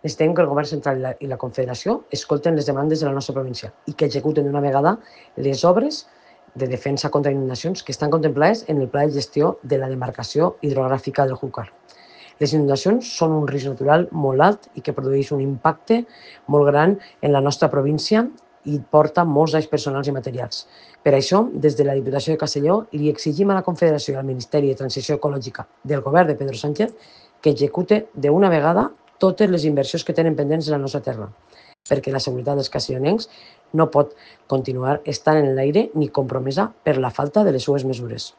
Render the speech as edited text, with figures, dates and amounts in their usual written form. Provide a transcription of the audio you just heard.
Necessitem que el govern central i la Confederació escolten les demandes de la nostra província i que executen d'una vegada les obres de defensa contra inundacions que estan contemplades en el Pla de Gestió de la Demarcació Hidrogràfica del Júcar. Les inundacions són un risc natural molt alt i que produeix un impacte molt gran en la nostra província i porta molts danys personals i materials. Per això, des de la Diputació de Castelló, li exigim a la Confederació i al Ministeri de Transició Ecològica del govern de Pedro Sánchez que execute d'una vegada totes les inversions que tenen pendents en la nostra terra, perquè la seguretat dels castellonencs no pot continuar estant en l'aire ni compromesa per la falta de les seues mesures.